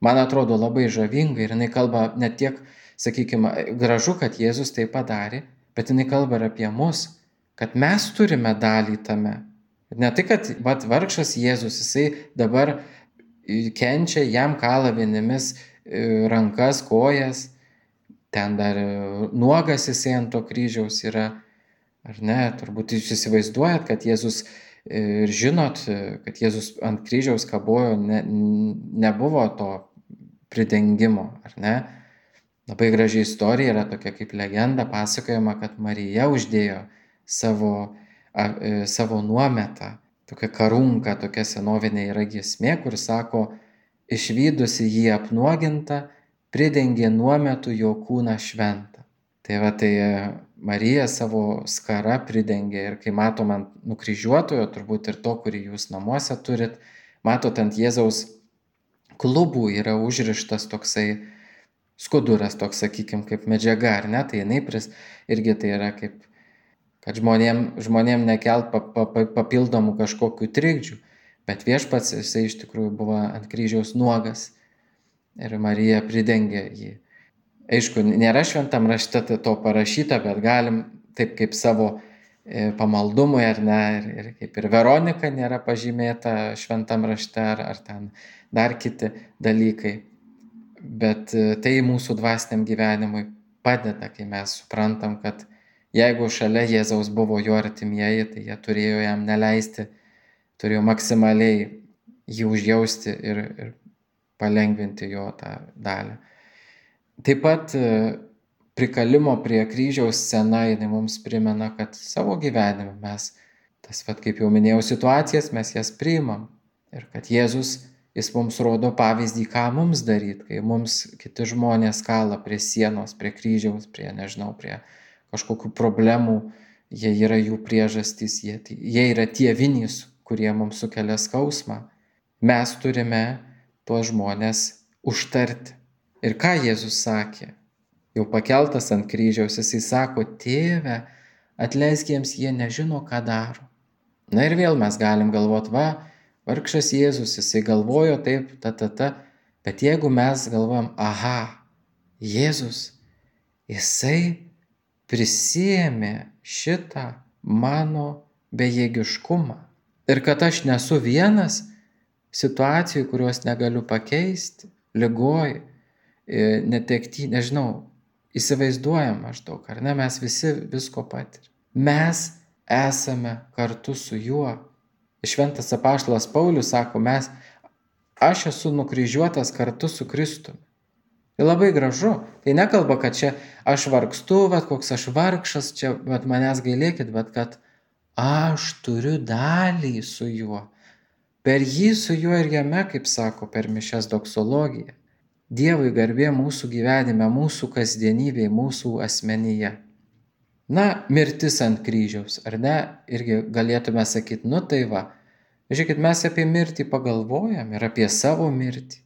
man atrodo labai žavinga ir jinai kalba ne tiek, sakykime, gražu, kad Jėzus tai padarė, bet jinai kalba ir apie mus, kad mes turime dalį tame. Ne tai, kad vat, vargšas Jėzus, jisai dabar kenčia, jam kala vienimis rankas, kojas, ten dar nuogas jisai ant to kryžiaus yra, ar ne, turbūt jūs įsivaizduojat, kad Jėzus ir žinot, kad Jėzus ant kryžiaus kabojo, ne, nebuvo to pridengimo, ar ne. Labai graži istorija yra tokia kaip legenda, pasakojama, kad Marija uždėjo savo, a, savo nuometą tokia karunka, tokia senovinė yra giesmė, kur sako, išvydusi jį apnuogintą, pridengė nuometu jo kūną šventą. Tai va, tai Marija savo skara pridengė ir kai matom ant nukryžiuotojo, turbūt ir to, kurį jūs namuose turit, matot ant Jėzaus klubų yra užrištas toksai skuduras, toks, sakykime, kaip medžiaga, ar ne, tai jinai pris, irgi tai yra kaip, kad žmonėm, žmonėm nekelt pa, pa, papildomų kažkokių trikdžių, bet viešpats jisai iš tikrųjų buvo ant kryžiaus nuogas ir Marija pridengė jį. Aišku, nėra šventam rašte to parašyta, bet galim taip kaip savo pamaldumui, ar ne, ir, ir kaip ir Veronika nėra pažymėta šventam rašte, ar, ar ten dar kiti dalykai. Bet tai mūsų dvasiniam gyvenimui padeda, kai mes suprantam, kad jeigu šalia Jėzaus buvo jo artimieji, tai jie turėjo jam neleisti, turėjo maksimaliai jį užjausti ir, ir palengvinti jo tą dalį. Taip pat prikalimo prie kryžiaus scena, jinai mums primena, kad savo gyvenime mes, tas vat, kaip jau minėjau, situacijas mes jas priimam ir kad Jėzus, jis mums rodo pavyzdį, ką mums daryti, kai mums kiti žmonės kala prie sienos, prie kryžiaus, prie, nežinau, prie kažkokių problemų, jie yra jų priežastys, jie, jie yra tie vinys, kurie mums sukelia skausmą. Mes turime tuos žmonės užtarti. Ir ką Jėzus sakė? Jau pakeltas ant kryžiaus, jisai sako, tėve, atleisk jiems, jie nežino, ką daro. Na ir vėl mes galim galvoti, va, vargšas Jėzus, jisai galvojo taip, ta, ta, ta, bet jeigu mes galvojam, aha, Jėzus, jisai prisiėmė šitą mano bejėgiškumą ir kad aš nesu vienas situacijų, kurios negaliu pakeisti, ligoj, netekti, nežinau, įsivaizduojam maždaug, ar ne, mes visi visko patirim. Mes esame kartu su juo. Šventas apaštalas Paulius sako, mes, aš esu nukryžiuotas kartu su Kristumi. Tai labai gražu. Tai nekalba, kad čia aš vargstu, bet koks aš vargšas, čia bet manęs gailėkit, bet kad aš turiu dalį su juo. Per jį su juo ir jame, kaip sako, per mišias doksologiją. Dievui garbė mūsų gyvenime, mūsų kasdienybėje, mūsų asmenyje. Na, mirtis ant kryžiaus, ar ne? Irgi galėtume sakyti, nu tai va, žiūrėkit, mes apie mirtį pagalvojam ir apie savo mirtį,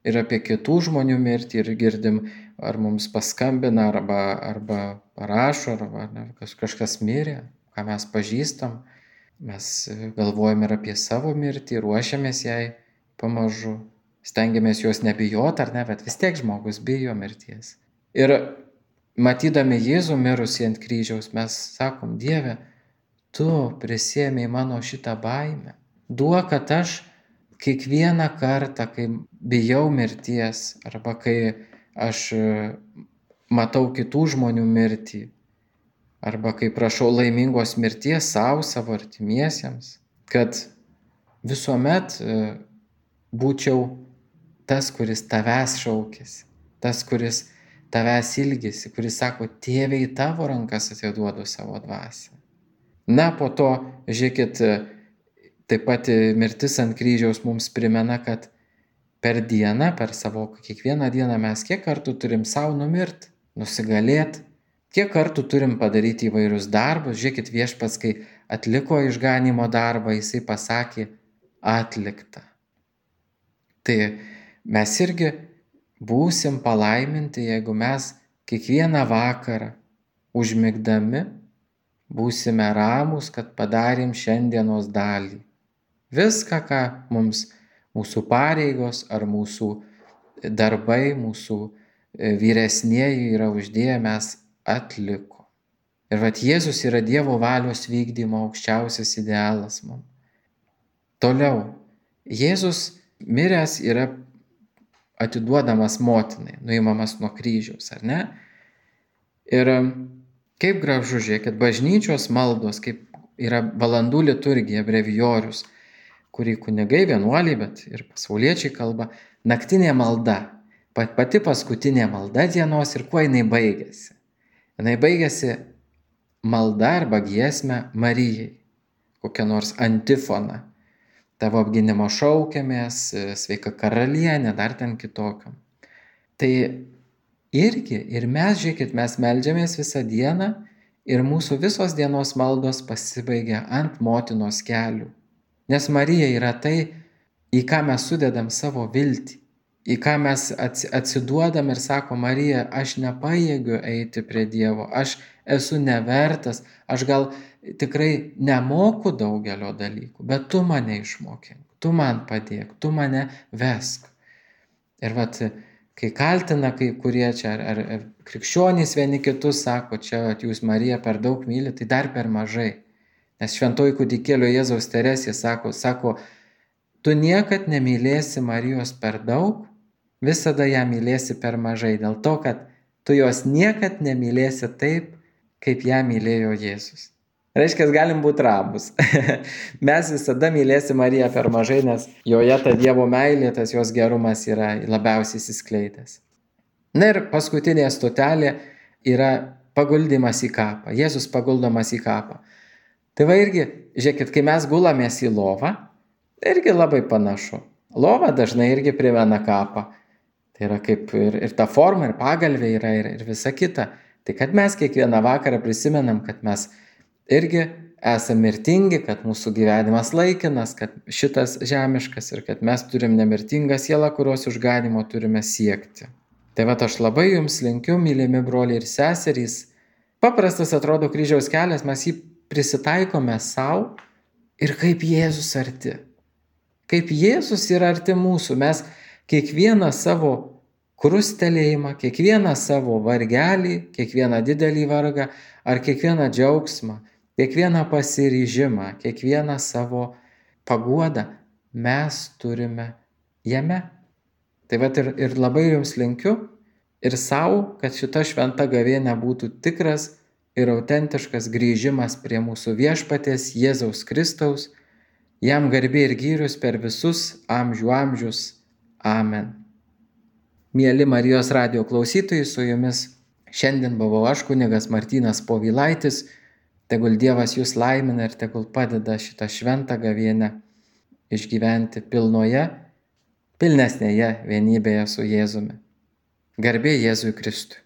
ir apie kitų žmonių mirtį, ir girdim, ar mums paskambina, arba, arba parašo, arba ne, kažkas mirė, ką mes pažįstam. Mes galvojam ir apie savo mirtį, ruošiamės jai pamažu. Stengiamės jos nebijoti, ar ne, bet vis tiek žmogus bijo mirties. Ir matydami Jėzų mirusį ant kryžiaus, mes sakom, Dieve, tu prisiėmei mano šitą baimę. Duok, kad aš kiekvieną kartą, kai bijau mirties, arba kai aš matau kitų žmonių mirtį, arba kai prašau laimingos mirties savo, savo artimiesiems, kad visuomet būčiau tas, kuris tavęs šaukėsi, tas, kuris tavęs ilgisi, kuris sako, tėve, į tavo rankas atiduodu savo dvasią. Na, po to, žiūrėkit, taip pat mirtis ant kryžiaus mums primena, kad per dieną, per savo kiekvieną dieną mes kiek kartų turim savo numirti, nusigalėti, kiek kartų turim padaryti įvairius darbus. Žiūrėkit, viešpats, kai atliko išganymo darbą, jisai pasakė, atlikta. Tai mes irgi būsim palaiminti, jeigu mes kiekvieną vakarą užmigdami būsime ramūs, kad padarėm šiandienos dalį. Viską, ką mums mūsų pareigos ar mūsų darbai, mūsų vyresnieji yra uždėję, mes atliko. Ir vat Jėzus yra Dievo valios vykdymo aukščiausias idealas mums. Toliau, Jėzus miręs yra atiduodamas motinai, nuimamas nuo kryžiaus, ar ne? Ir kaip gražu, žiūrėkit, bažnyčios maldos, kaip yra valandų liturgija, brevijorius, kurį kunigai, vienuoliai, bet ir pasauliečiai kalba, naktinė malda, pati paskutinė malda dienos ir kuo jinai baigėsi. Jinai baigėsi malda arba giesme Marijai, kokią nors antifoną. Tavo apgynimo šaukiamės, sveika karalienė, dar ten kitokiam. Tai irgi, ir mes, žiūrėkit, mes meldžiamės visą dieną ir mūsų visos dienos maldos pasibaigia ant motinos kelių. Nes Marija yra tai, į ką mes sudedam savo viltį, į ką mes atsiduodam ir sako, Marija, aš nepajėgiu eiti prie Dievo, aš esu nevertas, aš gal tikrai nemoku daugelio dalykų, bet tu mane išmokink, tu man padėk, tu mane vesk. Ir vat, kai kaltina kai kurie čia, ar, ar, ar krikščionys vieni kitus sako, čia vat, jūs Mariją per daug myli, tai dar per mažai. Nes šventoji kūdikėlio Jėzaus Teresė sako, sako, tu niekad nemylėsi Marijos per daug, visada ją mylėsi per mažai, dėl to, kad tu jos niekad nemylėsi taip, kaip ją mylėjo Jėzus. Reiškia, galim būti ramus. Mes visada mylėsim Mariją per mažai, nes joje ta Dievo meilė, tas jos gerumas yra labiausiai įsiskleidęs. Na ir paskutinė stotelė yra paguldymas į kapą. Jėzus paguldomas į kapą. Tai va irgi, žiūrėkit, kai mes gulamės į lovą, irgi labai panašu. Lova dažnai irgi primena kapą. Tai yra kaip ir, ir ta forma, ir pagalvė yra, ir, ir visa kita. Tai kad mes kiekvieną vakarą prisimenam, kad mes irgi esame mirtingi, kad mūsų gyvenimas laikinas, kad šitas žemiškas ir kad mes turim nemirtingą sielą, kurios išganimo turime siekti. Tai va, aš labai jums linkiu, mylimi broliai ir seserys. Paprastas atrodo kryžiaus kelias, mes jį prisitaikome savo ir kaip Jėzus arti. Kaip Jėzus yra arti mūsų, mes kiekvieną savo krustelėjimą, kiekvieną savo vargelį, kiekvieną didelį vargą ar kiekvieną džiaugsmą, kiekvieną pasiryžimą, kiekvieną savo paguodą mes turime jame. Tai vat ir, ir labai jums linkiu ir savo, kad šita šventa gavėnia būtų tikras ir autentiškas grįžimas prie mūsų viešpaties Jėzaus Kristaus, jam garbė ir gyrius per visus amžių amžius. Amen. Mieli Marijos radijo klausytojai, su jumis šiandien buvau aš, kunigas Martynas Povilaitis. Tegul Dievas jūs laimina ir tegul padeda šitą šventą gavėnią išgyventi pilnoje, pilnesnėje vienybėje su Jėzumi. Garbė Jėzui Kristui.